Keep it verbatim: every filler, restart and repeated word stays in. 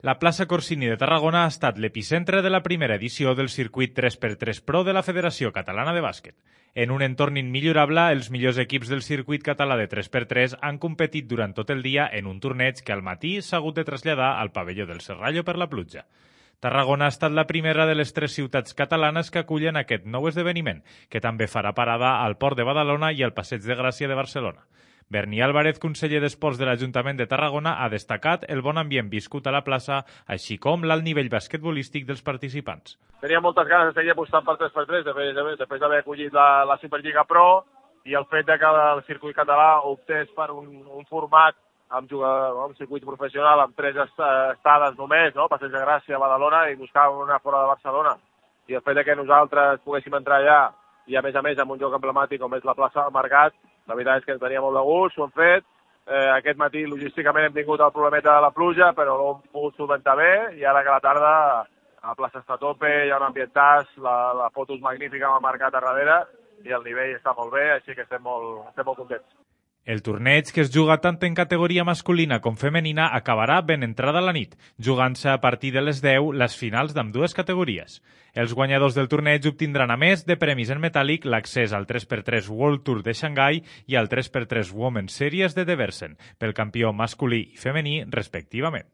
La plaça Corsini de Tarragona ha estat l'epicentre de la primera edició del circuit tres per tres Pro de la Federació Catalana de Bàsquet. En un entorn immillorable, els millors equips del circuit català de tres per tres han competit durant tot el dia en un torneig que al matí s'ha hagut de traslladar al pavelló del Serrallo per la pluja. Tarragona ha estat la primera de les tres ciutats catalanes que acullen aquest nou esdeveniment, que també farà parada al Port de Badalona i al Passeig de Gràcia de Barcelona. Berni Álvarez, conseller d'Esports de l'Ajuntament de Tarragona, ha destacat el bon ambient viscut a la plaça, així com l'alt nivell basquetbolístic dels participants. Tenia moltes ganes de seguir apostant per tres per tres després d'haver acollit la, la Superliga Pro i el fet de que el circuit català optés per un, un format amb jugador, un circuit professional amb tres estades només, no? Passeig de Gràcia, Badalona, i buscar una fora de Barcelona. I el fet de que nosaltres poguéssim entrar allà i a més a més amb un lloc emblemàtic com és la plaça del Mercat, la veritat és que ens tenia molt de gust, ho hem fet. Eh, aquest matí logísticament hem tingut el problemeta de la pluja, però ho hem pogut solventar bé, i ara que a la tarda la plaça està a tope, hi ha un ambientàs, la, la foto és magnífica amb el Mercat a darrere i el nivell està molt bé, així que estem molt, estem molt contents. El torneig, que es juga tant en categoria masculina com femenina, acabarà ben entrada la nit, jugant-se a partir de les deu les finals d'ambdues categories. Els guanyadors del torneig obtindran, a més de premis en metàl·lic, l'accés al tres per tres World Tour de Xangai i al tres per tres Women's Series de Deversen, pel campió masculí i femení, respectivament.